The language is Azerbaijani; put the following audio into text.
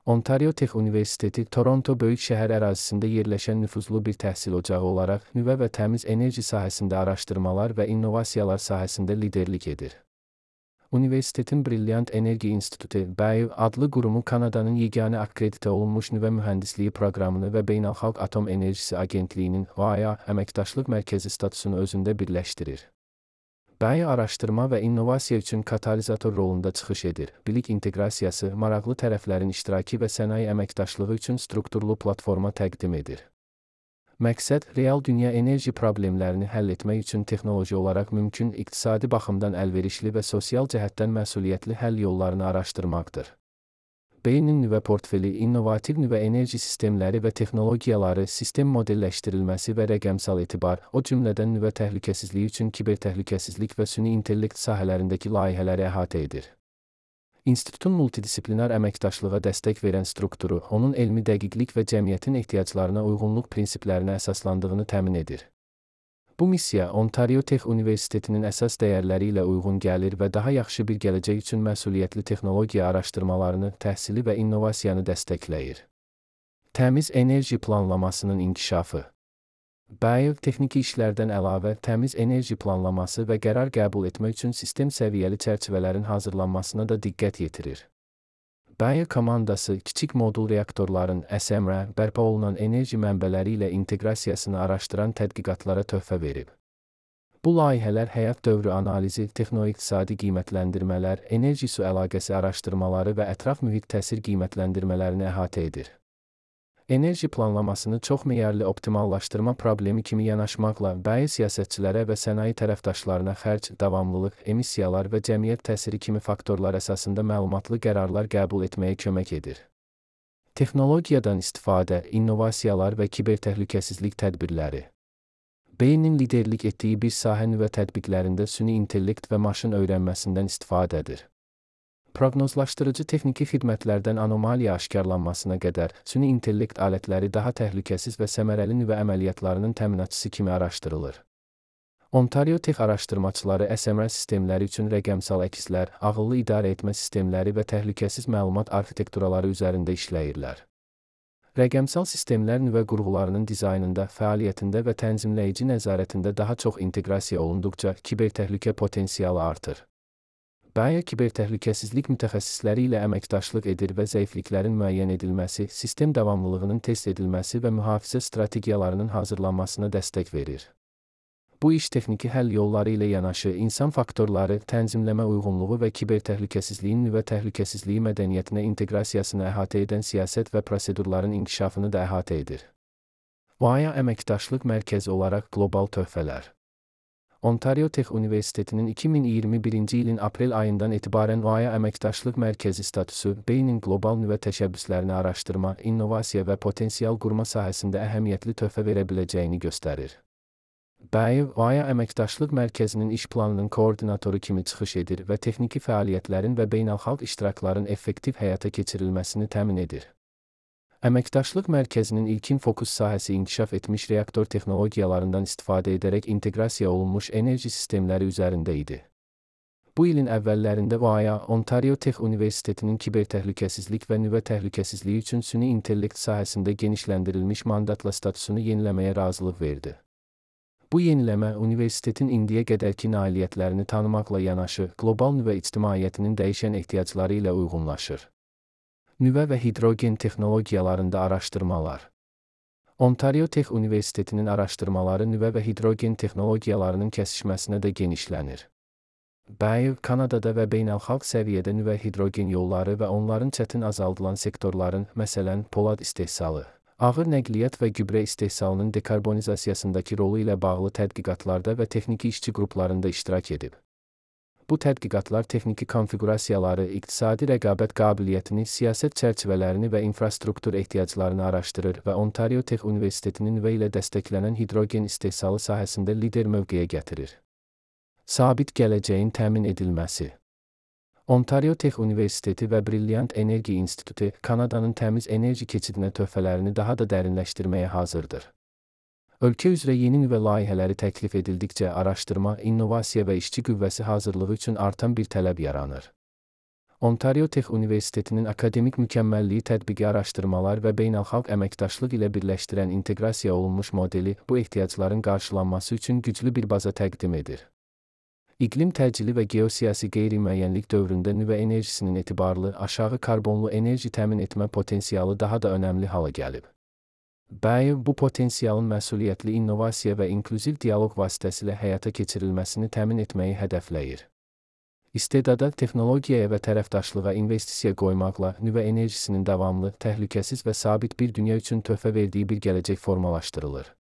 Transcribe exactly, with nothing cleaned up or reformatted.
Ontario Tech Universiteti, Toronto böyük şəhər ərazisində yerləşən nüfuzlu bir təhsil ocağı olaraq nüvə və təmiz enerji sahəsində araşdırmalar və innovasiyalar sahəsində liderlik edir. Universitetin Brilliant Energy Institute (B E I) adlı qurumu Kanadanın yeganə akkreditə olunmuş nüvə mühəndisliyi proqramını və Beynəlxalq Atom Enerjisi Agentliyinin (O A I) əməkdaşlıq mərkəzi statusunu özündə birləşdirir. B E I araşdırma və innovasiya üçün katalizator rolunda çıxış edir, bilik inteqrasiyası, maraqlı tərəflərin iştirakı və sənaye əməkdaşlığı üçün strukturlu platforma təqdim edir. Məqsəd, real dünya enerji problemlərini həll etmək üçün texnoloji olaraq mümkün, iqtisadi baxımdan əlverişli və sosial cəhətdən məsuliyyətli həll yollarını araşdırmaqdır. B E I-nin nüvə portfeli, innovativ nüvə enerji sistemləri və texnologiyaları, sistem modelləşdirilməsi və rəqəmsal etibar, o cümlədən nüvə təhlükəsizliyi üçün kibertəhlükəsizlik və süni intellekt sahələrindəki layihələri əhatə edir. İnstitutun multidisiplinar əməkdaşlığa dəstək verən strukturu, onun elmi dəqiqlik və cəmiyyətin ehtiyaclarına uyğunluq prinsiplərinə əsaslandığını təmin edir. Bu missiya, Ontario Tech Universitetinin əsas dəyərləri ilə uyğun gəlir və daha yaxşı bir gələcək üçün məsuliyyətli texnologiya araşdırmalarını, təhsili və innovasiyanı dəstəkləyir. Təmiz enerji planlamasının inkişafı. B E I texniki işlərdən əlavə təmiz enerji planlaması və qərar qəbul etmək üçün sistem səviyyəli çərçivələrin hazırlanmasına da diqqət yetirir. B E I komandası kiçik modul reaktorların S M R bərpa olunan enerji mənbələri ilə inteqrasiyasını araşdıran tədqiqatlara töhfə verib. Bu layihələr həyat dövrü analizi, texnoiqtisadi qiymətləndirmələr, enerji su əlaqəsi araşdırmaları və ətraf mühit təsir qiymətləndirmələrini əhatə edir. Enerji planlamasını çoxmeyarlı optimallaşdırma problemi kimi yanaşmaqla B E I siyasətçilərə və sənaye tərəfdaşlarına xərc, davamlılıq, emissiyalar və cəmiyyət təsiri kimi faktorlar əsasında məlumatlı qərarlar qəbul etməyə kömək edir. Texnologiyadan istifadə, innovasiyalar və kibertəhlükəsizlik tədbirləri. B E I-nin liderlik etdiyi bir sahə nüvə tətbiqlərində süni intellekt və maşın öyrənməsindən istifadədir. Proqnozlaşdırıcı texniki xidmətlərdən anomaliya aşkarlanmasına qədər, süni intellekt alətləri daha təhlükəsiz və səmərəli nüvə əməliyyatlarının təminatçısı kimi araşdırılır. Ontario Tech araşdırmaçıları S M R sistemləri üçün rəqəmsal əkslər, ağıllı idarə etmə sistemləri və təhlükəsiz məlumat arxitekturaları üzərində işləyirlər. Rəqəmsal sistemlər nüvə qurğularının dizaynında, fəaliyyətində və tənzimləyici nəzarətində daha çox inteqrasiya olunduqca kibertəhlükə potensialı artır. B E I kibertəhlükəsizlik mütəxəssisləri ilə əməkdaşlıq edir və zəifliklərin müəyyən edilməsi, sistem davamlılığının test edilməsi və mühafizə strategiyalarının hazırlanmasına dəstək verir. Bu iş texniki həll yolları ilə yanaşı, insan faktorları, tənzimləmə uyğunluğu və kibertəhlükəsizliyin nüvə təhlükəsizliyi mədəniyyətinə inteqrasiyasını əhatə edən siyasət və prosedurların inkişafını da əhatə edir. O A I əməkdaşlıq mərkəzi olaraq qlobal töhfələr. Ontario Tech Universitetinin iki min iyirmi birinci ilin aprel ayından etibarən O A I əməkdaşlıq mərkəzi statusu, B E I-nin qlobal nüvə təşəbbüslərini araşdırma, innovasiya və potensial qurma sahəsində əhəmiyyətli töhfə verə biləcəyini göstərir. B E I, O A I əməkdaşlıq mərkəzinin iş planının koordinatoru kimi çıxış edir və texniki fəaliyyətlərin və beynəlxalq iştirakların effektiv həyata keçirilməsini təmin edir. Əməkdaşlıq mərkəzinin ilkin fokus sahəsi inkişaf etmiş reaktor texnologiyalarından istifadə edərək inteqrasiya olunmuş enerji sistemləri üzərində idi. Bu ilin əvvəllərində O A I, Ontario Tech Universitetinin kibertəhlükəsizlik və nüvə təhlükəsizliyi üçün süni intellekt sahəsində genişləndirilmiş mandatla statusunu yeniləməyə razılıq verdi. Bu yeniləmə, universitetin indiyə qədərki nailiyyətlərini tanımaqla yanaşı, qlobal nüvə ictimaiyyətinin dəyişən ehtiyacları ilə uyğunlaşır. Nüvə və hidrogen texnologiyalarında araşdırmalar. Ontario Tech Universitetinin araşdırmaları nüvə və hidrogen texnologiyalarının kəsişməsinə də genişlənir. B E I, Kanadada və beynəlxalq səviyyədə nüvə hidrogen yolları və onların çətin azaldılan sektorların, məsələn, polad istehsalı, ağır nəqliyyat və gübrə istehsalının dekarbonizasiyasındakı rolu ilə bağlı tədqiqatlarda və texniki işçi qruplarında iştirak edib. Bu tədqiqatlar texniki konfiqurasiyaları, iqtisadi rəqabət qabiliyyətini, siyasət çərçivələrini və infrastruktur ehtiyaclarını araşdırır və Ontario Tech Universitetinin nüvə ilə dəstəklənən hidrogen istehsalı sahəsində lider mövqeyə gətirir. Sabit gələcəyin təmin edilməsi. Ontario Tech Universiteti və Brilliant Energy Institute, Kanadanın təmiz enerji keçidinə töhfələrini daha da dərinləşdirməyə hazırdır. Ölkə üzrə yeni nüvə layihələri təklif edildikcə araşdırma, innovasiya və işçi qüvvəsi hazırlığı üçün artan bir tələb yaranır. Ontario Tech Universitetinin akademik mükəmməlliyi tətbiqi araşdırmalar və beynəlxalq əməkdaşlıq ilə birləşdirən inteqrasiya olunmuş modeli bu ehtiyacların qarşılanması üçün güclü bir baza təqdim edir. İqlim təcili və geosiyasi qeyri-müəyyənlik dövründə nüvə enerjisinin etibarlı, aşağı karbonlu enerji təmin etmə potensialı daha da önəmli hala gəlib. B A E bu potensialın məsuliyyətli innovasiya və inklüziv dialoq vasitəsilə həyata keçirilməsini təmin etməyi hədəfləyir. İstedada, texnologiyaya və tərəfdaşlığa investisiya qoymaqla nüvə enerjisinin davamlı, təhlükəsiz və sabit bir dünya üçün töhfə verdiyi bir gələcək formalaşdırılır.